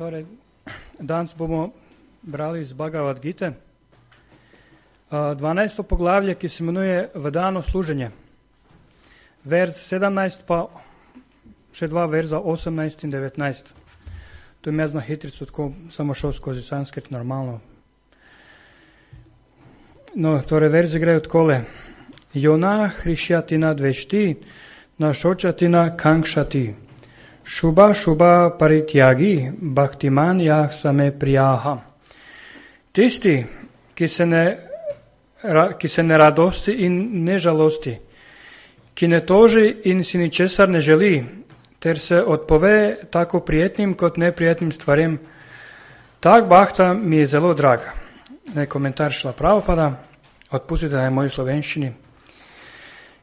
Torej, danes bomo brali iz Bhagavad Gite 12. poglavje, ki se imenuje Vedano služenje. Verz 17 pa še dva verza 18 in 19. To je jaz na hitrico tako samo šel skozi sanskrit normalno. No, torej verzi grejo takole. Jona hrišjatina dvešti, na šočatina kankšati. Šuba šuba parityagi, bhaktiman jah same prijaha. Tisti, ki se ne radosti in ne žalosti, ki ne toži in si ničesar ne želi, ter se odpove tako prijetnim kot neprijetnim stvarem, tak bhakta mi je zelo drag. Komentar Šrila Prabhupada, odpustite na moji slovenščini.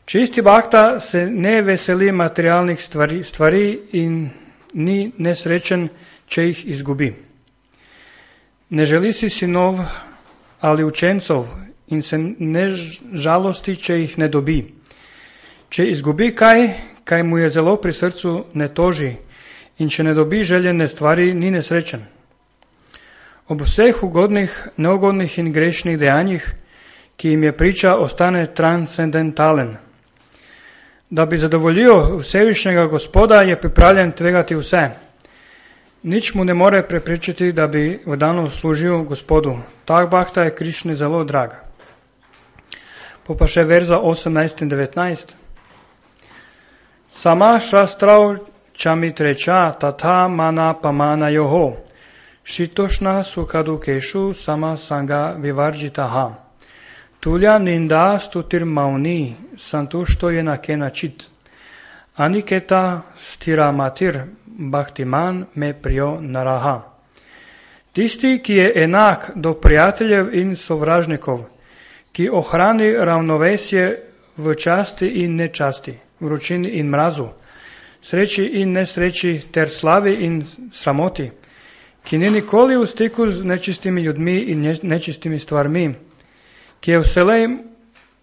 Čisti bhakta se ne veseli materialnih stvari in ni nesrečen, če jih izgubi. Ne želi si sinov ali učencov in se ne žalosti, če jih ne dobi. Če izgubi kaj mu je zelo pri srcu, ne toži in če ne dobi željene stvari, ni nesrečen. Ob vseh ugodnih, neugodnih in grešnih dejanjih, ki jim je priča, ostane transcendentalen. Da bi zadovoljil Vsevišnjega Gospoda, je pripravljen tvegati vse. Nič mu ne more preprečiti, da bi vedano služil Gospodu. Tak bhakta je Krišni zelo drag. Pa še verza 18 in 19. Sama šastrav čamitreča tata mana pamana joho. Šitošna sukadukešu sama sanga vivarjitaha. Tulja ninda stutir mauni, santušto je nakena čit. Aniketa stira matir, bhaktiman me prijo naraha. Tisti, ki je enak do prijateljev in sovražnikov, ki ohrani ravnovesje v časti in nečasti, vročini in mrazu, sreči in nesreči ter slavi in sramoti, ki ni nikoli v stiku z nečistimi ljudmi in nečistimi stvarmi, ki je vselej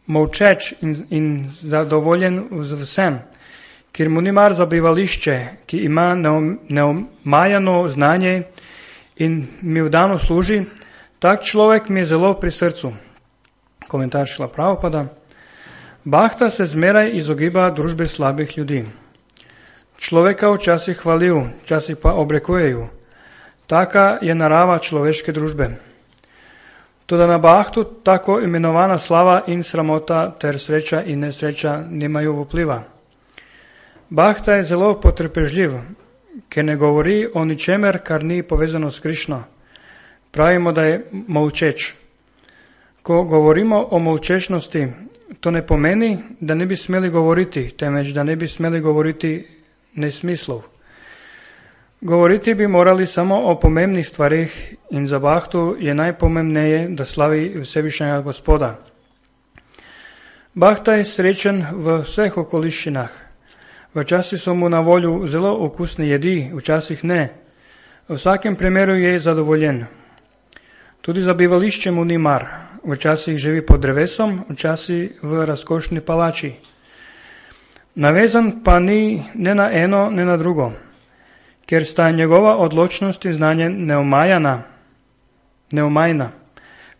molčeč in zadovoljen z vsem, ker mu ni mar za bivališče, ki ima neomajano znanje in mi vdano služi, tak človek mi je zelo pri srcu. Komentar Šrila Prabhupada. Bhakta se zmeraj izogiba družbe slabih ljudi. Človeka včasih hvalijo, včasih pa obrekujejo. Taka je narava človeške družbe. Toda na bhaktu tako imenovana slava in sramota ter sreča in nesreča nimajo vpliva. Bhakta je zelo potrpežljiv, ker ne govori o ničemer, kar ni povezano s Krišno. Pravimo, da je molčeč. Ko govorimo o molčečnosti, to ne pomeni, da ne bi smeli govoriti, temveč da ne bi smeli govoriti nesmislov. Govoriti bi morali samo o pomembnih stvarih in za bhaktu je najpomembneje, da slavi Vsevišnjega Gospoda. Bhakta je srečen v vseh okoliščinah. Včasih so mu na volju zelo okusne jedi, včasih ne. V vsakem primeru je zadovoljen. Tudi za bivališče mu ni mar. Včasih živi pod drevesom, včasih v razkošni palači. Navezan pa ni ne na eno, ne na drugo. Ker sta njegova odločnost in znanje neomajna.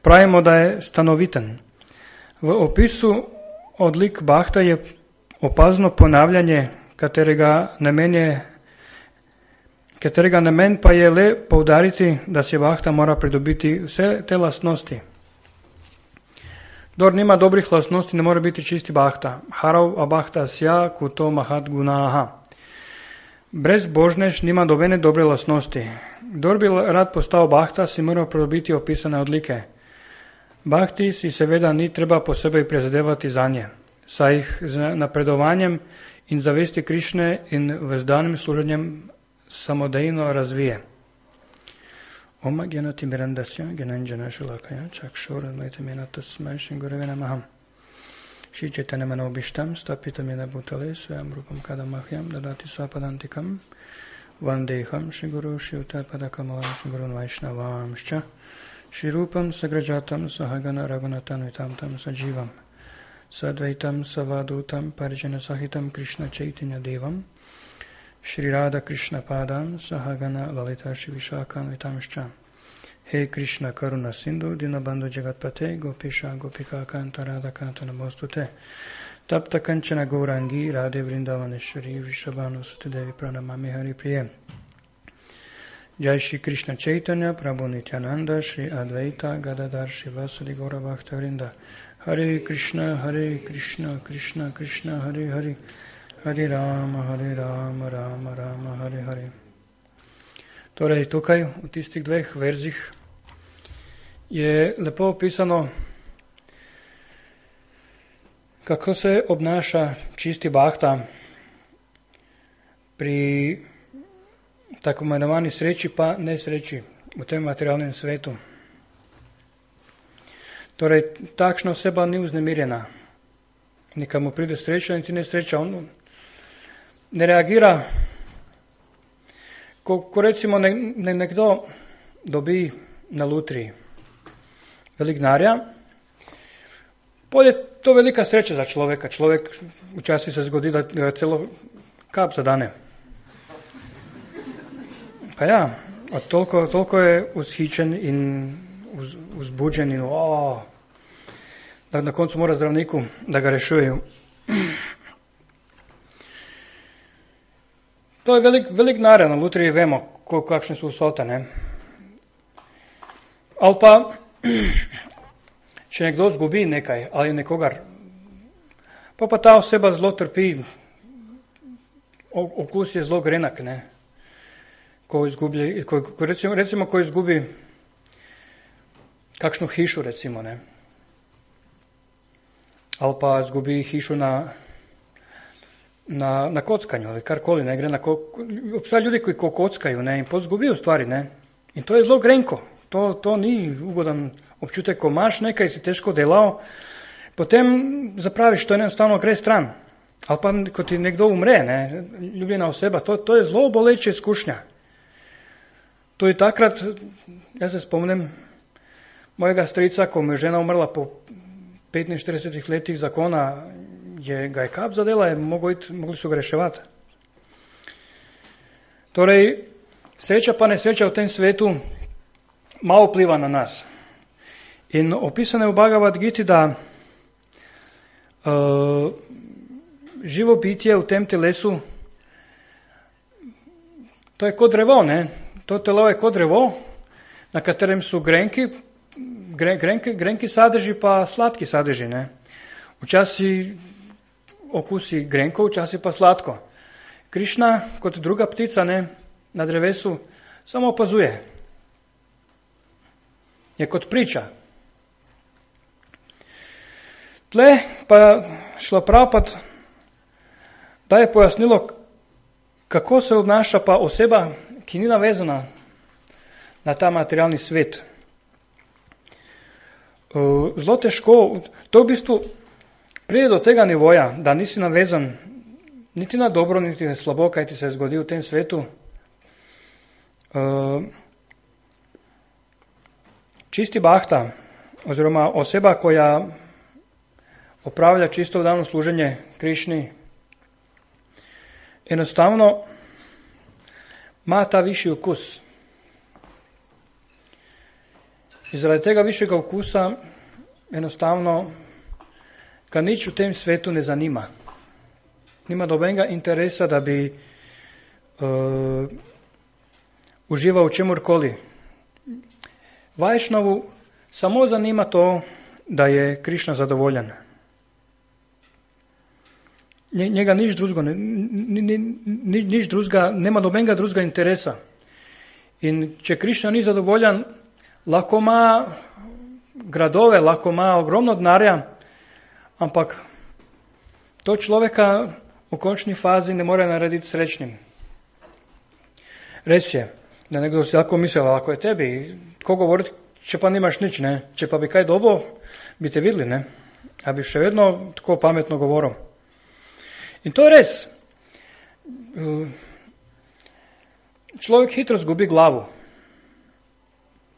Pravimo, da je stanoviten. V opisu odlik bhakta je opazno ponavljanje, katerega namen pa je le poudariti, da si bhakta mora pridobiti vse te lastnosti. Kdor nima dobrih lastnosti, ne more biti čisti bhakta. Harav abhakta sja kuto mahat gunaha. Brezbožnež nima dobene dobre lastnosti. Kdor bi rad postal bhakta, si mora pridobiti opisane odlike. Bhakti si seveda ni treba posebej prizadevati zanje, saj jih z napredovanjem in zavesti Krišne in vzdanim služenjem samodejno razvije. Oma gyanati mirandasya gyananjana shalakaya chakshura maitamena tasmai shingurave namaham. Shri Chaitanya Manobishtam Stapitam Yena Bhutale Swayam Rupam Kadamahyam Dadati Swapadantikam Vandeham Shri Guru Shri Uttarpadakamalam Shri Gurun Vaishnavamscha Shri Rupam Sagrajatam Sahagana Raghunatan Vitamtam Sajivam Sadvaitam Savadutam Parijana Sahitam Krishna Chaitanya Devam Shri Radha Krishna Padam Sahagana Lalita Shivishakam Vitamshcha. He Krishna Karuna Sindhu Dinabandhu Jagatpate Gopisha Gopika Kanta Radha Kanta Namostute Tapta Kanchana Gaurangi Radhe Vrindavaneshwari Vrishabhanu Sutidevi Pranamami Hari Priya. Jai Shri Krishna Chaitanya Prabhu Nityananda Shri Advaita Gadadhar Shivasadi Gaura Bhakta Vrinda. Hare Krishna Krishna Krishna Hare Hare Hare Rama Rama Rama Hare Hare. Torej tukaj v tistih dveh verzih je lepo opisano, kako se obnaša čisti bhakta pri tako imenovani sreči pa nesreči v tem materialnem svetu. Torej, takšna oseba ni vznemirjena. Neka mu pride sreča in ti nesreča. On ne reagira. Ko recimo nekdo dobi na lutriji velik denarja, je to velika sreča za človeka. Človek včasih se zgodi, da ga celo kap zadane. Pa ja, toliko je vzhičen in vzbuđen in da na koncu mora zdravniku da ga rešujejo. To je velik denar, na lutriji vemo, kakšne so vsote, ne. Ali pa, če nekdo zgubi nekaj ali nekogar, pa ta oseba zelo trpi, okus je zelo grenak, ne. Recimo, ko izgubi kakšno hišo, recimo, ne. Ali pa izgubi hišo na kockanju ali karkoli, ne, gre obstaja ljudi koji kockaju, ne, in pozgubijo stvari, ne, in to je zelo grenko, to ni ugodan občutek, ko imaš nekaj, si težko delal, potem zapraviš, to enostavno gre stran, ali pa ko ti nekdo umre, ne, ljubljena oseba, to je zelo boleče izkušnja. To je takrat, jaz se spomnim mojega strica, ko mu je žena umrla po 45 letih zakona, ga je kap zadela, mogli su ga reševati. Torej, sreča pa nesreča v tem svetu malo vpliva na nas. In opisano je v Bhagavad Giti, da živo bitje v tem telesu, to je kot drevo, ne? To telo je kot drevo, na katerem su grenki sadeži pa slatki sadeži, ne? Včasih okusi grenko, včasih pa slatko. Krišna, kot druga ptica, ne, na drevesu, samo opazuje. Je kot priča. Tle pa Šlaprapad daje pojasnilo, kako se obnaša pa oseba, ki ni navezana na ta materialni svet. Zelo težko, to v bistvu pride do tega nivoja, da nisi navezan niti na dobro, niti na slabo, kaj ti se zgodi v tem svetu. Čisti bhakta, oziroma oseba, koja opravlja čisto vdano služenje Krišni, enostavno ima ta višji okus. In zaradi tega višjega okusa enostavno ga nič v tem svetu ne zanima. Nima dobenega interesa, da bi užival v čemurkoli. Vajšnavu samo zanima to, da je Krišna zadovoljen. Njega nič drugega, nema dobenega drugega interesa. In če Krišna ni zadovoljen, lahko ima gradove, lahko ima ogromno denarja, ampak to človeka v končni fazi ne more narediti srečnim. Res je, da nekdo si lahko misli, ako je tebi, ko govoriti, če pa nimaš nič, ne? Če pa bi kaj dobo, bi te videli, ne? A bi še vedno tako pametno govoril. In to je res. Človek hitro zgubi glavo.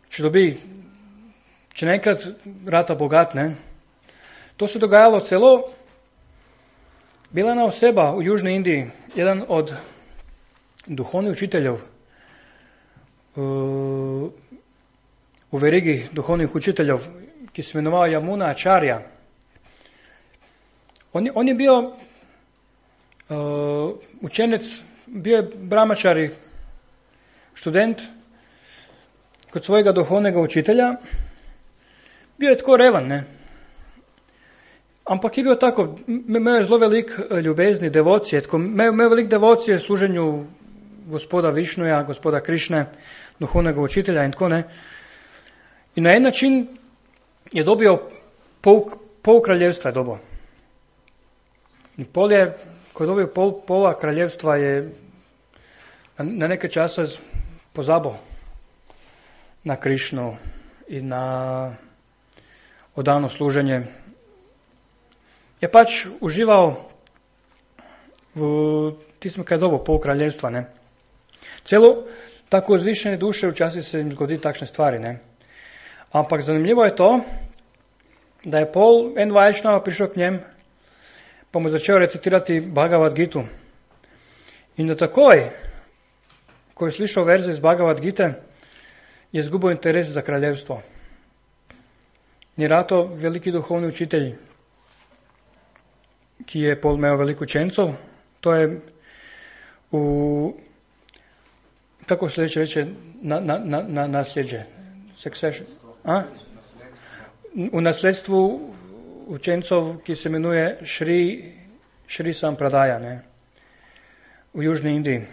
Če nekrat rata bogat, ne? To se dogajalo celo, bila ena oseba v Južni Indiji, jedan od duhovnih učiteljev u verigi duhovnih učiteljev, ki se imenovao Yamuna Acharya. On je bio učenec, bio je brahmačari, študent kod svojega duhovnega učitelja. Bio je tako revan, ne? Ampak je bio tako, imel je zelo velik ljubezni, devocije, imel velik devocije služenju gospoda Višnuja, gospoda Krišne, duhovnega učitelja in tako ne. I na en način je dobio pol kraljevstva je dobio. I ko je dobio pola kraljevstva je na neke čase pozabo na Krišnu i na odano služenje. Je pač užival v tistem, kaj je dobo pol kraljevstva, ne. Celo tako zvišene duše včasih se jim zgodi takšne stvari, ne. Ampak zanimljivo je to, da je en Vajšnava prišel k njem, pa mu začel recitirati Bhagavad Gitu. In da takoj, ko je slišal verze iz Bhagavad Gite, je izgubil interes za kraljevstvo. Ni rato veliki duhovni učitelj, ki je imel veliko učencov, to je kako se reče, na nasljeđe, succession, v nasledstvu učencov, ki se imenuje Šri Sampradaja, ne, v Južni Indiji.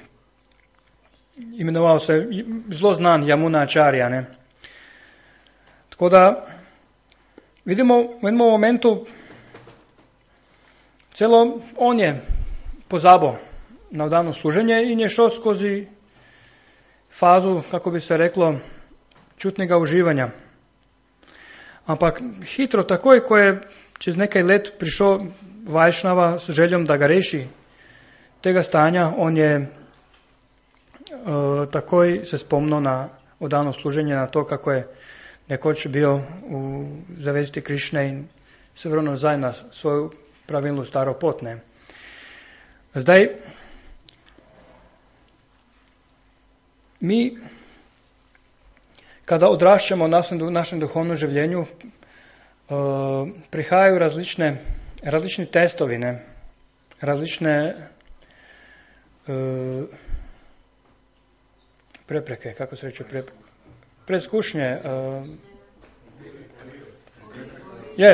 Imenoval se zelo znan Yamuna Acharya, ne. Tako da vidimo v enem momentu, celo on je pozabo na vdano služenje in je šel skozi fazu, kako bi se reklo, čutnega uživanja. Ampak hitro, takoj, ko je čez nekaj let prišel Vajšnava s željom, da ga reši tega stanja, on je takoj se spomnil na vdano služenje, na to, kako je nekoč bil v zavesti Krišne in se vrnil nazaj na svojo pravilnu staro pot, ne. Zdaj, mi, kada odraščamo v našem duhovnem življenju, prihajajo različni testovi, ne, različne prepreke, kako se reče, preizkušnje,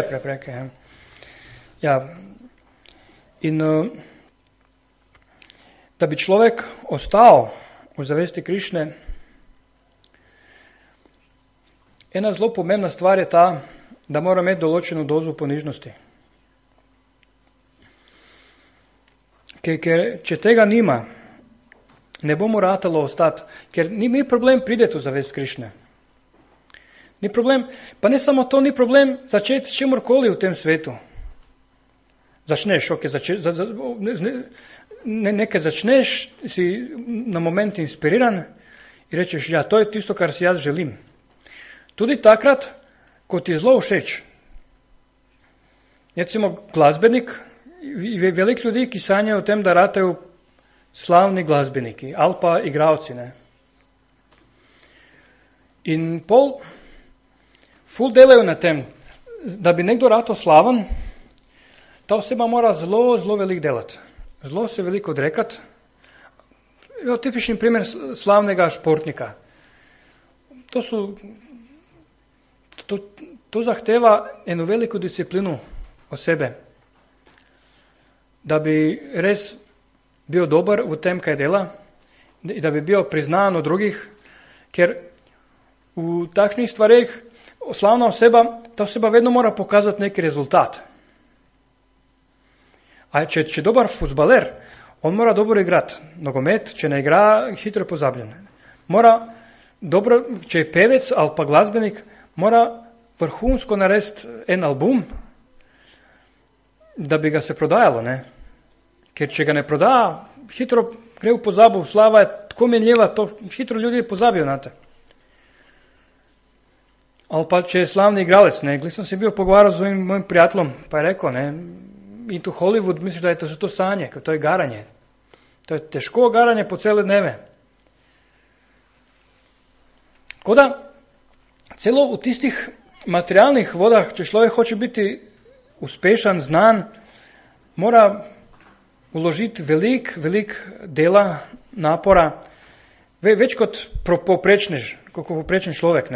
prepreke, ja. Ja. In da bi človek ostal v zavesti Krišne, ena zelo pomembna stvar je ta, da mora imeti določeno dozo ponižnosti. Ker če tega nima, ne bo mu ratalo ostati, ker ni problem prideti v zavest Krišne. Ni problem, pa ne samo to, ni problem začeti s čemorkoli v tem svetu. Začneš, nekaj začneš, si na moment inspiriran in rečeš, ja, to je tisto, kar si jaz želim. Tudi takrat, ko ti zelo všeč. Recimo glasbenik, veliko ljudi, ki sanjajo o tem, da ratejo slavni glasbeniki ali pa igravci, ne. In ful delajo na tem, da bi nekdo rato slaven, ta oseba mora zelo, zelo veliko delati. Zelo se veliko odrekati. Tipični primer slavnega športnika. To zahteva eno veliko disciplino osebe, da bi res bil dober v tem, kaj dela, da bi bil priznan od drugih, ker v takšnih stvareh slavna oseba, ta oseba vedno mora pokazati neki rezultat. A če dobar fuzbaler, on mora dobro igrati nogomet, če ne igra, hitro pozabljen. Če je pevec ali pa glasbenik, mora vrhunsko narediti en album, da bi ga se prodajalo, ne. Ker če ga ne proda, hitro gre v pozabo, slava je tako menljiva, to hitro ljudje pozabijo na te. Ali pa če je slavni igralec, ne, sem se bil pogovarjal z mojim prijateljem, pa je rekel, ne, in to Hollywood, misliš, da je to sanje, ker to je garanje. To je težko garanje po cele dneve. Koda celo v tistih materialnih vodah, če človek hoče biti uspešen, znan, mora uložiti velik dela, napora, več kot povprečen človek.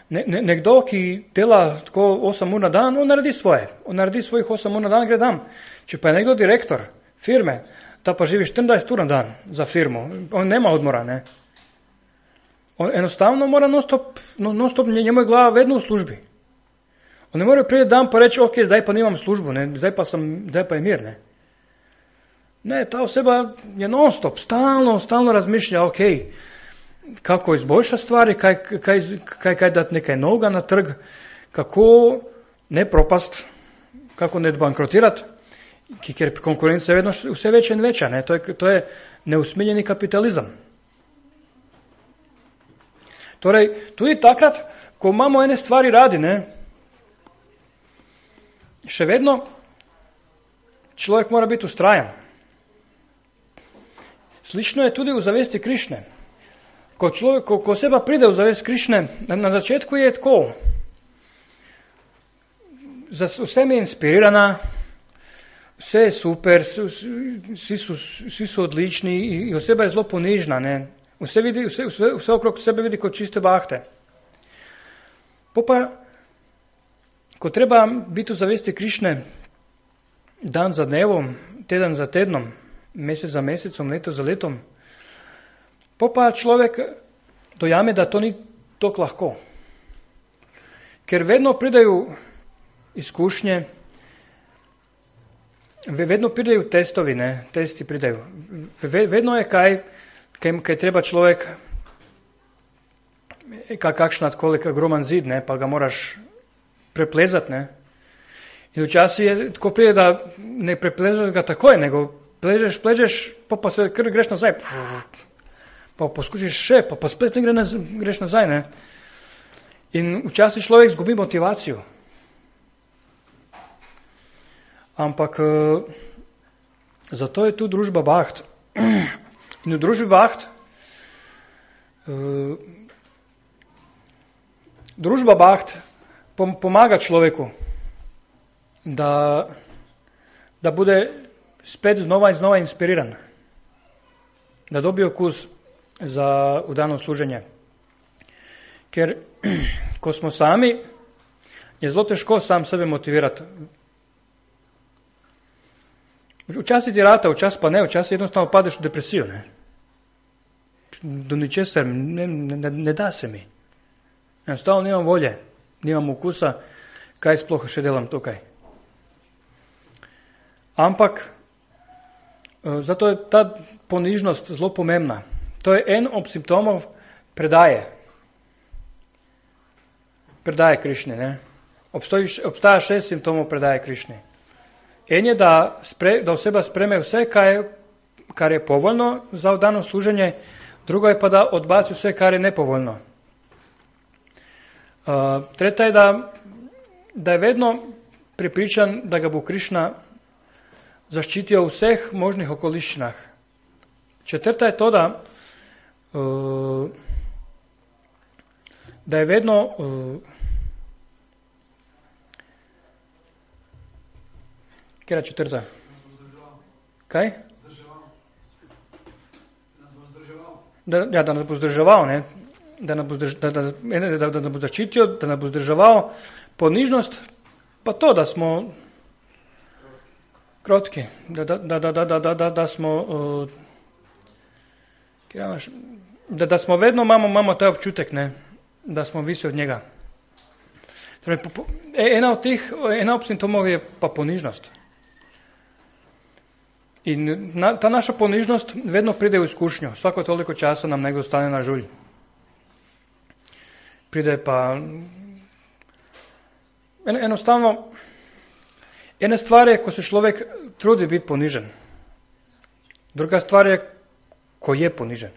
Nekdo, ki dela tako 8 ur na dan, on naredi svoje. On naredi svojih 8 ur na dan, gre tam. Če pa je nekdo direktor firme, ta pa živi 24 ur na dan za firmo, on nema odmora, ne. On enostavno mora non-stop, njemu je glava vedno v službi. On ne more priti dan pa reči, ok, zdaj pa nimam službu, ne, zdaj pa je mir, ne. Ne, ta oseba je non-stop, stalno razmišlja, ok, kako izboljša stvari, kaj dati nekaj novega na trg, kako ne propast, kako ne bankrotirati, ker konkurenca je vedno vse večja in večja, ne, to je neusmiljeni kapitalizem. Torej, tudi takrat, ko imamo ene stvari radi, ne, še vedno človek mora biti ustrajan. Slično je tudi v zavesti Krišne. Ko oseba pride v zavest Krišne, na začetku je tako. Vse mi je inspirirana, vse je super, vsi so odlični in oseba je zelo ponižna, ne. Vse okrog sebe vidi kot čiste bahte. Pa, ko treba biti v zavesti Krišne dan za dnevom, teden za tednom, mesec za mesecom, leto za letom, pa človek dojame, da to ni tako lahko. Ker vedno pridejo izkušnje, vedno pridejo testovi, ne, testi pridejo. Vedno je kaj treba človek, kakšna koliko ogroman zid, ne, pa ga moraš preplezati, ne. In včasih je tako pride, da ne preplezaš ga takoj, nego pležeš, pa se kar greš nazaj. Pa poskušiš še, pa spet ne greš nazaj, ne. In včasih človek zgubi motivacijo. Ampak zato je tu družba Baht. In v družbi Baht družba Baht pomaga človeku, da bude spet znova in znova inspiriran, da dobi okus za vdano služenje. Ker ko smo sami, je zelo težko sam sebe motivirati. Včasih ti rata, včasih pa ne, včasih jednostavno padeš v depresijo, ne. Do ničesar, ne da se mi. Enostavno nimam volje, nimam okusa, kaj sploh še delam tukaj. Ampak zato je ta ponižnost zelo pomembna. To je en od simptomov predaje Krišne, ne. Obstaja 6 simptomov predaje Krišne. En je, da oseba spreme vse, kar je povoljno za vdano služenje, drugo je pa, da odbaci vse, kar je nepovoljno. Tretja je, da je vedno prepričan, da ga bo Krišna zaščitijo v vseh možnih okoliščinah. Četrta je to, da je vedno kjera četrta? Kaj? Da nas bo zdrževal, ne? Da nas bo zaščitil, da nas bo zdrževal. Ponižnost pa to, da smo krotki, da smo da smo vedno imamo taj občutek, ne, da smo visi od njega. Torej, ena od simptomov je pa ponižnost. In ta naša ponižnost vedno pride v izkušnjo. Svako toliko časa nam nekdo stane na žulj. Pride pa enostavno. Ena stvar je, ko se človek trudi biti ponižen. Druga stvar je, ko je ponižen.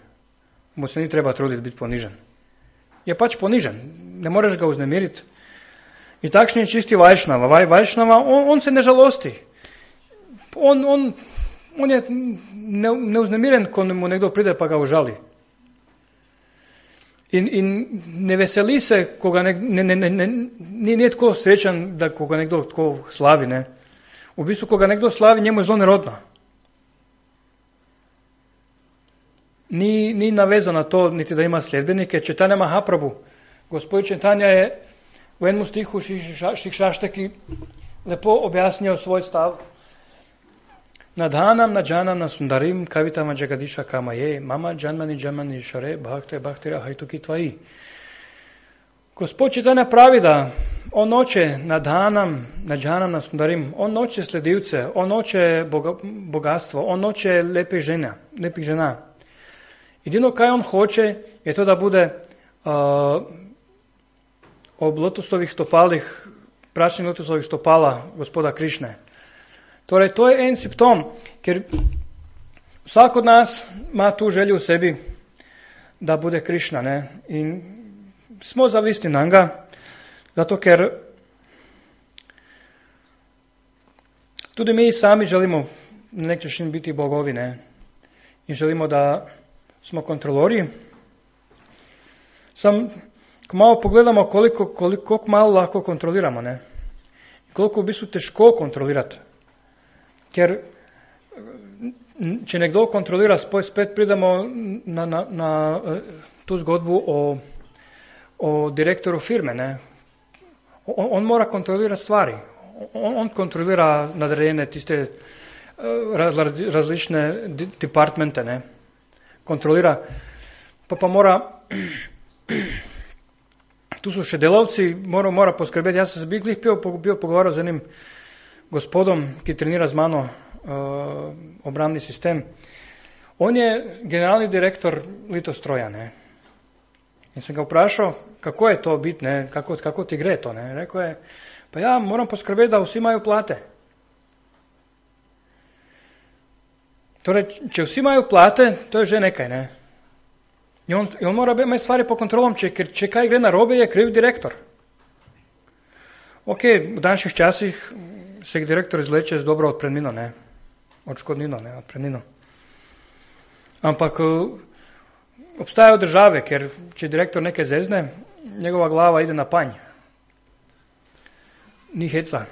Mu se ni treba truditi biti ponižen. Je pač ponižen. Ne moreš ga vznemiriti. In takšni je čisti Vajšnava. Vajšnava, on se ne žalosti. On je neuznemiren ko mu nekdo pride pa ga užali. In ne veseli se, ko ga nije tako srečan, da ko ga nekdo tako slavi. Ne. V bistvu, ko ga nekdo slavi, njemu je zelo nerodno. Ni navezan na to, niti da ima sljedbenike. Četanja Mahaprabhu, gospod Četanja je v enem stihu Šikšaštaki lepo objasnil svoj stav. Nadhanam nadžanam na sundarim kavitama jagadiša kamaje, mama džanmani šare, bhaktira hajtuki tvaji. Gospod Četanja pravi, da on noče nadhanam na sundarim, on noče sledilce, on noče bogatstvo, on noče lepih žena. Edino, kaj on hoče, je to, da bude ob lotosovih stopalih, prašnih lotosovih stopala gospoda Krišne. Torej, to je en simptom, ker vsak od nas ima tu želju v sebi, da bude Krišna. Ne? In smo zavisni na njega, zato ker tudi mi sami želimo na nek način biti bogovi, ne? In želimo, da smo kontrolori. Ko malo pogledamo koliko malo lahko kontroliramo, ne? Koliko v bistvu težko kontrolirati. Ker če nekdo kontrolira, spet pridemo na tu zgodbu o direktoru firme. Ne? On mora kontrolirati stvari. On kontrolira nadrejene tiste različne departmente. Ne? Kontrolira. Pa mora, tu so še delavci, mora poskrbeti. Jaz sem bil pogovarjal z enim gospodom, ki trenira z mano obrambni sistem. On je generalni direktor Litostroja. Ne? In sem ga vprašal, kako je to biti, ne? Kako ti gre to. Ne? Rekel je, pa ja, moram poskrbeti, da vsi imajo plate. Torej, če vsi imajo plate, to je že nekaj. Ne? In on mora imeti stvari pod kontrolom, ker če kaj gre narobe, je kriv direktor. Ok, v danših časih se direktor izleče z dobro odpremnino, ne? Odškodnino, ne? Odpremnino. Ampak obstajajo države, ker če direktor nekaj zezne, njegova glava ide na panj. Ni heca.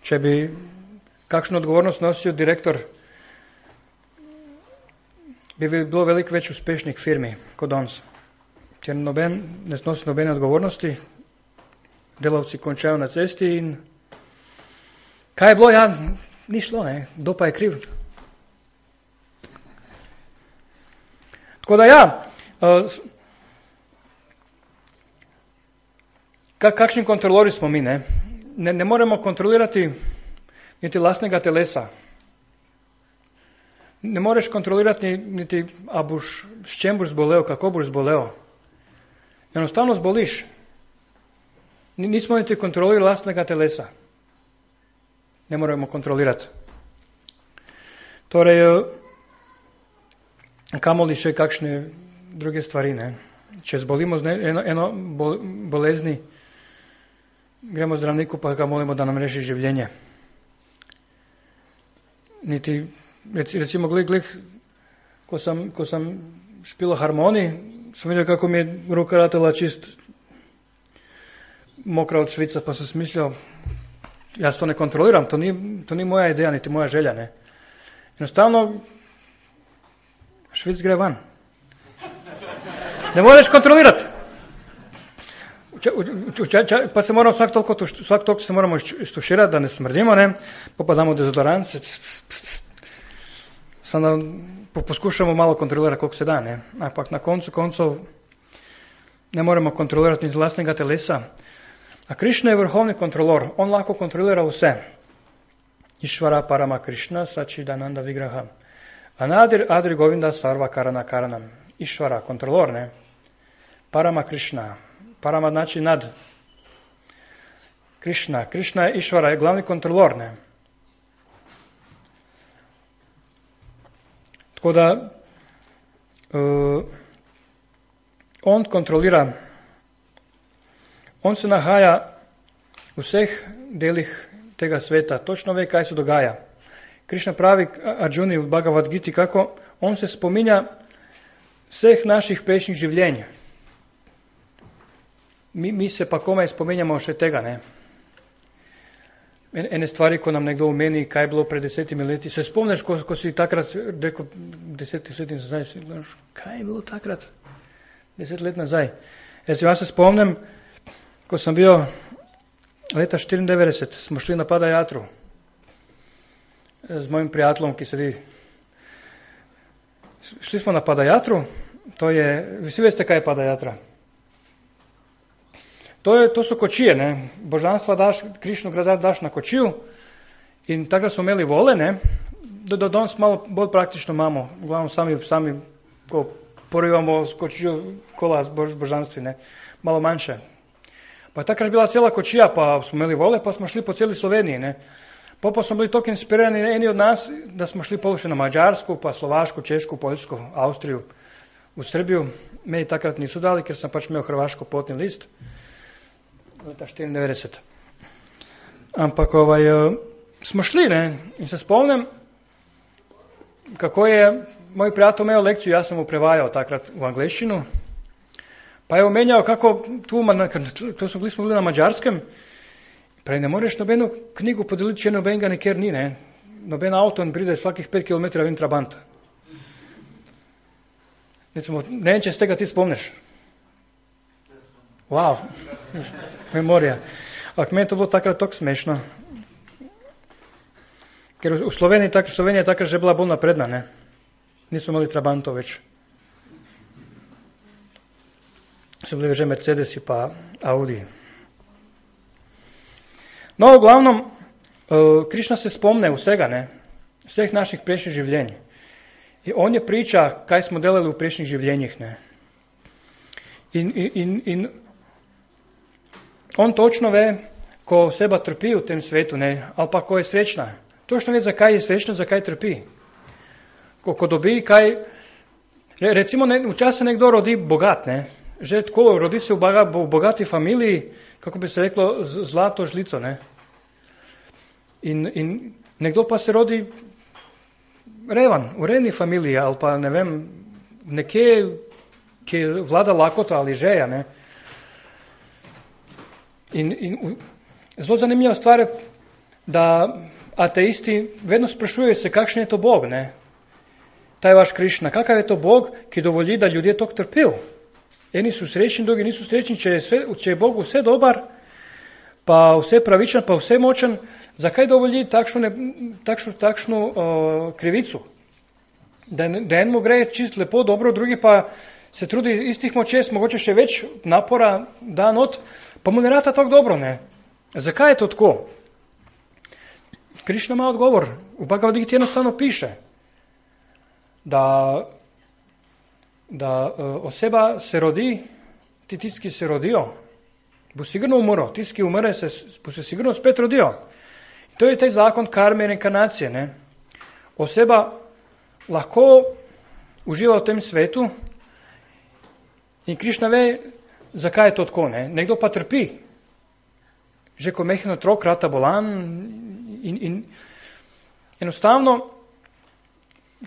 Če bi kakšno odgovornost nosil direktor, bi bilo veliko več uspešnih firmi kot danes. Ker noben ne snosi nobene odgovornosti, delavci končajo na cesti in kaj je bilo? Ja, ni šlo, ne? Kdo pa je kriv? Tako da ja, kakšni kontrolori smo mi, ne? Ne moremo kontrolirati niti lastnega telesa. Ne moreš kontrolirati niti, s čem boš zbolel, kako boš zbolel. Enostavno zboliš. Nismo niti kontrolirali lastnega telesa. Ne moremo kontrolirati. Torej, kamoli še kakšne druge stvari. Ne? Če zbolimo z eno bolezni, gremo zdravniku pa ga molimo, da nam reši življenje. Niti, recimo, ko sem špila harmoni, sem videl, kako mi je ruka ratela čist mokra od švica, pa sem smislil, jaz to ne kontroliram, to ni moja ideja, niti moja želja. Ne? Enostavno, švic gre van. Ne moreš kontrolirati. Pa se moramo vsak toliko se moramo iztuširati, da ne smrdimo, ne? Pa damo dezodorant, samo poskušamo malo kontrolirati, koliko se da. Ne? Ampak na koncu ne moremo kontrolirati ni vlastnega telesa. A Krišna je vrhovni kontrolor, on lahko kontrolira vse. Išvara parama Krišna, Sačidananda Vigraha. Anadir Adri Govinda Sarva Karana Karanam. Išvara, kontrolor, ne? Parama Krišna. Parama znači nad. Krišna je Išvara, je glavni kontrolor, ne? Tako da on kontrolira. On se nahaja v vseh delih tega sveta, točno ve, kaj se dogaja. Krišna pravi Arjuni u Bhagavad Giti kako on se spominja sveh naših prejšnjih življenj. Mi se pa komaj spominjamo še tega, ne. Ene stvari, ko nam nekdo omeni, kaj je bilo pred 10 leti. Se spomniš, ko si takrat rekel 10 let nazaj, kaj je bilo takrat 10 let nazaj? Jaz se spomnim, ko sem bil leta 94, smo šli na Padayatru z mojim prijateljem, ki sedi. Šli smo na Padayatru, vsi veste, kaj je Padayatra. To so kočije, ne. Božanstva daš, Krišno daš na kočiju in takrat smo imeli vole, ne. Do danes malo bolj praktično imamo. Uglavnom sami ko porivamo s kočijo kola z božanstvi, ne. Malo manjše. Pa takrat je bila cela kočija, pa smo imeli vole, pa smo šli po celi Sloveniji, ne. Pa smo bili toliko inspirirani eni od nas, da smo šli pol še na Mađarsku, pa Slovaško, Češku, Poljsko, Avstriju, v Srbiju. Meni takrat niso dali, ker sem pač imel hrvaško potni list. Leta 94. Ampak smo šli, ne, in se spomnim, kako je moj prijatelj imel lekciju, jaz sem mu prevajal takrat v angleščinu, pa je omenjal, kako to smo bili na Mađarskem, prej ne moreš nobeno knjigu podeliti, če nobenega nikjer ni, ne. Noben avto ne pride svakih 5 km ven Trabant. Ne vem, če z tega ti spomniš. Wow, memorija. Ampak meni to bilo takrat tako smešno. Ker v Sloveniji je takrat že bila bolj napredna, ne. Nismo imeli Trabantov več. So bili že Mercedesi pa Audi. No, v glavnom, Krišna se spomne vsega, ne. Vseh naših prejšnjih življenj. In on je priča, kaj smo delali v prejšnjih življenjih, ne. In on točno ve, ko oseba trpi v tem svetu, ne, ali pa ko je srečna. Točno ve, zakaj je srečna, zakaj trpi. Ko dobi kaj, recimo včasih nekdo rodi bogat, ne, že tako rodi se v bogati familiji, kako bi se reklo, zlato žlico, ne. In nekdo pa se rodi revan, v revni familiji, ali pa ne vem, nekje, ki vlada lakota ali žeja, ne. In zelo zanimiva stvar je, da ateisti vedno sprašujejo se, kakšen je to Bog, ne. Ta je vaš Krišna, kakav je to Bog, ki dovoli, da ljudje tok trpijo. Eni so srečni, drugi niso srečni, če je Bog vse dobar, pa vse pravičen, pa vse močen, zakaj dovoli takšno krivico? Da enemu gre čist lepo, dobro, drugi pa se trudi istih močes, mogoče še več napora da not, pa mu ne rata tako dobro, ne. Zakaj je to tako? Krišna ima odgovor. V Bhagavad Giti enostavno piše, da oseba se rodi, tisti, ki se rodijo, bo sigurno umrl, tisti, ki umre, bo se sigurno spet rodijo. To je taj zakon karme in reinkarnacije, ne. Oseba lahko uživa v tem svetu in Krišna ve, zakaj je to tako, ne. Nekdo pa trpi. Že ko mehen otrok, rata bolan in enostavno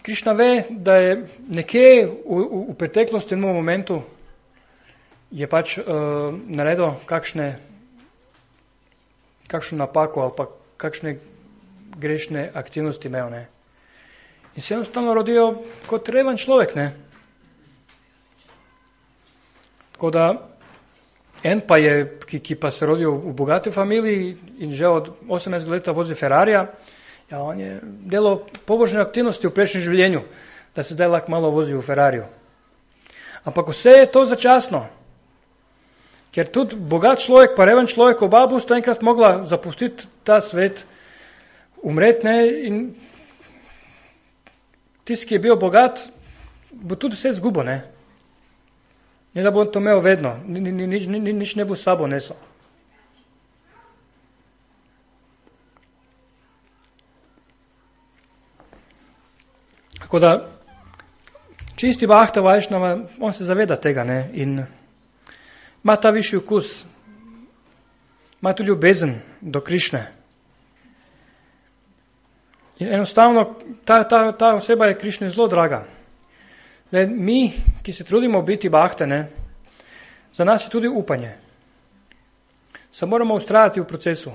Krišna ve, da je nekje v preteklosti, v enem momentu, je pač naredil kakšno napako ali pa kakšne grešne aktivnosti imel, ne. In se enostavno rodijo kot reven človek, ne. Tako da en pa je, ki pa se rodil v bogati familiji in že od 18 leta vozi Ferrarija, ja, on je delal pobožne aktivnosti v prejšnjem življenju, da se zdaj lahko malo vozi v Ferrariju. Ampak vse je to začasno. Ker tudi bogat človek pa reven človek, oba bosta enkrat mogla zapustiti ta svet, umreti, ne, in tisti, ki je bil bogat, bo tudi vse zgubo, ne. Ne da bo to imel vedno, nič ne bo s sabo nesel. Tako da, čisti Bhakta Vajšnava, on se zaveda tega, ne, in ima ta višji okus, ima tu ljubezen do Krišne. In enostavno ta oseba je Krišni zelo draga. Mi, ki se trudimo biti bahte, ne, za nas je tudi upanje. Se moramo ustrajati v procesu.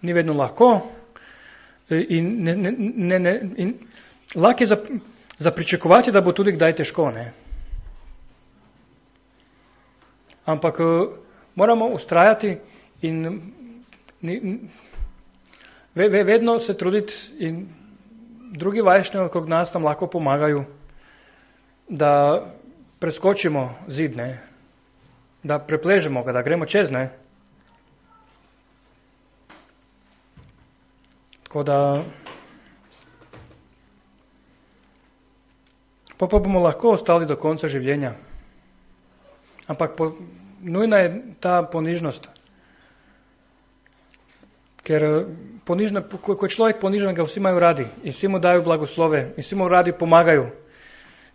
Ni vedno lahko in lahko je za pričakovati, da bo tudi kdaj težko. Ne. Ampak moramo ustrajati in vedno se truditi in drugi vajšnjavi okrog nas nam lahko pomagajo, da preskočimo zid, ne, da prepležemo ga, da gremo čez. Ne. Tako da pa bomo lahko ostali do konca življenja. Ampak nujna je ta ponižnost. Ker ko je človek ponižen, ga vsi imajo radi in vsi mu dajo blagoslove in vsi mu radi pomagajo.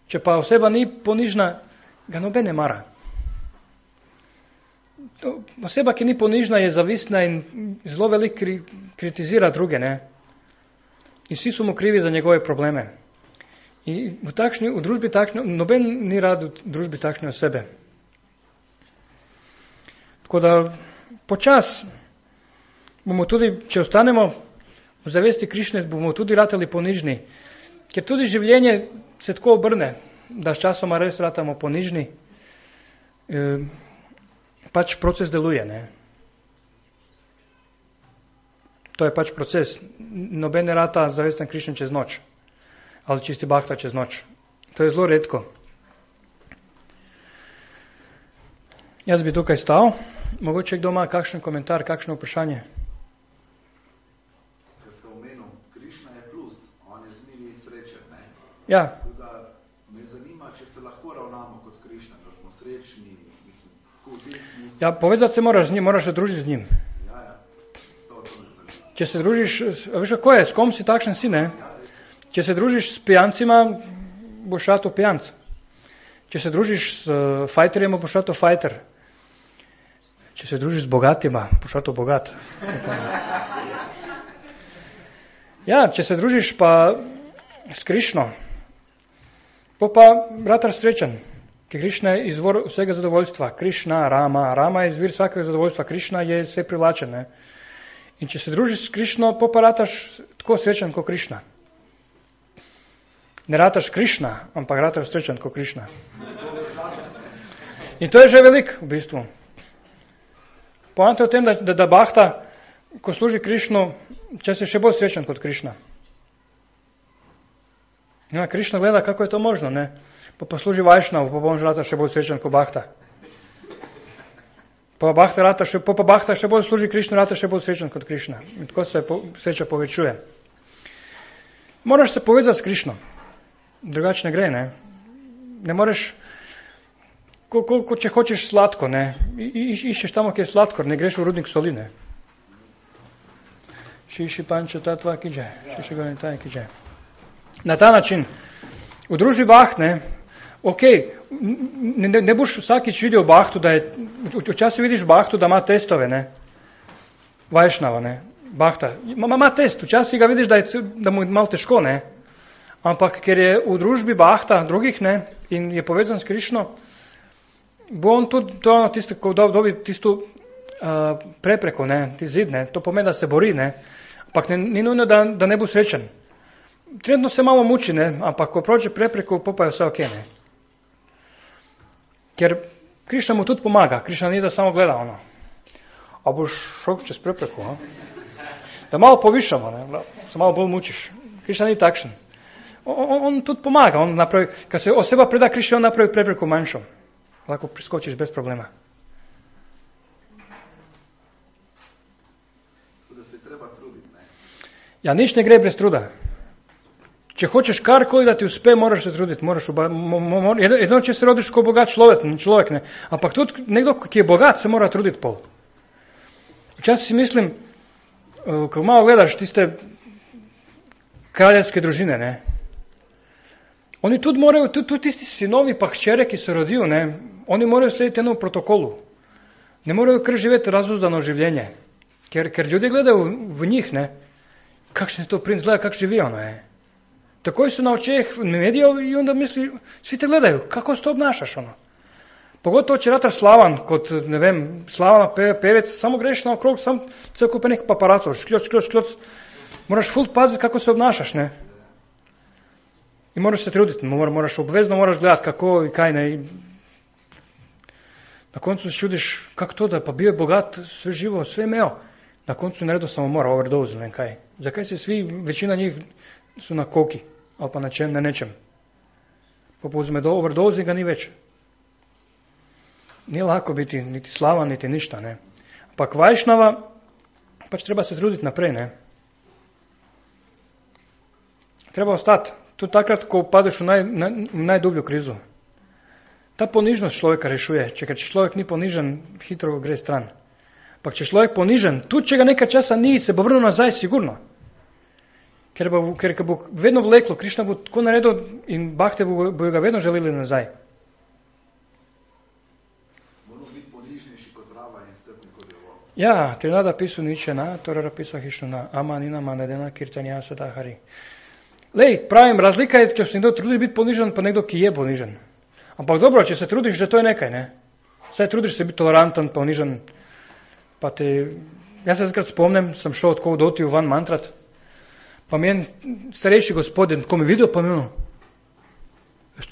Če pa oseba ni ponižna, ga noben ne mara. Oseba, ki ni ponižna, je zavistna in zelo veliko kritizira druge. Ne? In vsi so mu krivi za njegove probleme. In v družbi takšne, noben ni rad v družbi takšne osebe. Tako da počas bomo tudi, če ostanemo v zavesti Krišne, bomo tudi ratali ponižni. Ker tudi življenje se tako obrne, da s časoma res ratamo ponižni. Pač proces deluje. Ne? To je pač proces. Noben ne rata zavesten Krišne čez noč. Ali čisti bahta čez noč. To je zelo redko. Jaz bi tukaj stal. Mogoče kdo ima kakšen komentar, kakšno vprašanje? Ker ste omenil, Krišna je plus, on je z njimi srečen. Ne? Ja. Tudi me zanima, če se lahko ravnamo kot Krišna, da smo srečni. Mislim, v tem smislu. Ja, povezati se moraš z njim, moraš se družiti z njim. Ja, to me zanima. Če se družiš, veš kako je, s kom si takšen si, ne? Če se družiš s pijancima, boš rato pijanc. Če se družiš s fajterjem, boš rato fajter. Če se družiš z bogatima, boš rato bogat. Ja, če se družiš pa s Krišno, pa rataš srečen, ker Krišna je izvor vsega zadovoljstva. Krišna, Rama je izvir vsakega zadovoljstva. Krišna je vse privlačen. Ne? In če se družiš s Krišno, pa rataš tako srečen kot Krišna. Ne rataš Krišna, ampak rataš srečen kot Krišna. In to je že veliko v bistvu. Poanta je v tem, da bahta, ko služi Krišnu, če se še bolj srečen kot Krišna. Ja, Krišna gleda, kako je to možno, ne? Pa služi Vajšnav, pa bom rata še bolj srečen kot bahta. Pa bahta še bolj služi Krišnu, rata še bolj srečen kot Krišna. In tako se sreča povečuje. Moraš se povezati s Krišno. Drugače ne gre, ne? Ne moreš, če hočeš sladko, ne? Iščeš tamo, kjer je sladkor, ne greš v rudnik soli, ne? Šiši pančo tatva kiđe, šiši gore taj kiđe. Na ta način, v družbi baht, ne? Ne boš vsakič videl bahtu, da je, včasih vidiš bahtu, da ima testove, ne? Vajšnava, ne? Bahta. Ima test, včasih ga vidiš, da mu je malo težko, ne? Ampak ker je v družbi bahta drugih, ne, in je povezan s Krišno, bo on tudi ko dobi tisto prepreko, ne, ti zid, ne, to pomeni, da se bori, ne, ampak ni nujno, da ne bo srečen. Trenutno se malo muči, ne, ampak ko prođe prepreko, pa je vse ok, ne. Ker Krišna mu tudi pomaga, Krišna ni da samo gleda ono. A boš šel čez prepreko, da malo povišamo, ne, se malo bolj mučiš. Krišna ni takšen. On tudi pomaga, on napravi, kad se oseba preda Krišni, on napravi prepreku manjšo. Lahko priskočiš bez problema. Da se treba truditi, ne? Ja, nič ne gre brez truda. Če hočeš karkoli, da ti uspe, moraš se truditi. Edino, če se rodiš kot bogat človek, ne. Ampak tudi nekdo, ki je bogat, se mora truditi pol. Včasih si mislim, ko malo gledaš tiste kraljevske družine, ne. Oni tudi morajo, tudi tisti sinovi pa hčere, ki se rodijo, ne, oni morajo slediti enemu protokolu. Ne morajo kar živeti razuzdano življenje. Ker ljudje gledajo v njih, ne. kakšen je to princ, gleda kak živi ono je. Takoj su na očeh medijev i onda misli, svi te gledaju, kako se to obnašaš ono. Pogotovo će ratar Slavan, kod, ne vem, Slavana pevec, samo greš na okrog, sam ceo kupe neki paparacov, škljoc. Moraš ful paziti kako se obnašaš, ne. I moraš se truditi, moraš gledati kako i kaj ne. Na koncu se čudiš, kako to da, pa bio je bogat, sve živo, sve imeo. Na koncu naredo samo mora overdose, ne kaj. Zakaj se svi, većina njih su na koki, ali pa na nečem. Pa uzme do overdoze ga ni več. Nije lako biti niti slavan, niti ništa, ne. Pa Vajšnava, pač treba se truditi naprej, ne. Treba ostati. Tu takrat, ko padeš v najdublju krizu. Ta ponižnost človeka rešuje. Če človek ni ponižen, hitro gre stran. Pa če človek ponižen, tudi če ga nekaj časa ni, se bo vrnil nazaj sigurno. Ker bo vedno vleklo, Krišna bo tako naredil in bahte bo ga vedno želeli nazaj. Ja, Trinada pisu ničena, torara pisu hišnuna, amanina manedena kirtanja sadahari. Lej, pravim, razlika je, če se nekdo trudi biti ponižen, pa nekdo, ki je ponižen. Ampak dobro, če se trudiš, že to je nekaj, ne? Saj trudiš se biti toleranten, ponižen, pa te... Jaz se zkrat spomnim, sem šel tako v Dotiju van mantrat, pa mi je starejši gospodin, ko mi videl, pa mi ono,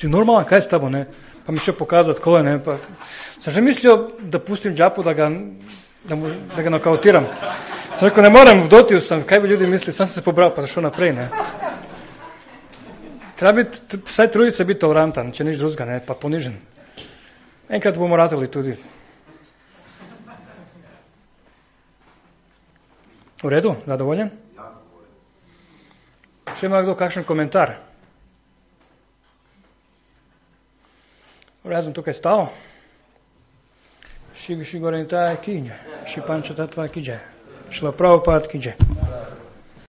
ti normalan, kaj s tabo, ne? Pa mi še pokazal, tako je, ne? Pa sem že mislil, da pustim džapu, da ga nokautiram. Sem rekel, ne morem, v Dotiju sem, kaj bi ljudi mislili, sam sem se pobral, pa šel naprej, ne? Treba biti, vsaj truditi se biti tolerantan, če nič drugega, ne, pa ponižen. Enkrat bomo ratali tudi. V redu, zadovoljen? Ja, zadovoljen. Še ima kdo kakšen komentar? Jaz sem tukaj stal. Šigorenta je kinje, šipančata tva kiđe, šla pravo pad kiđe.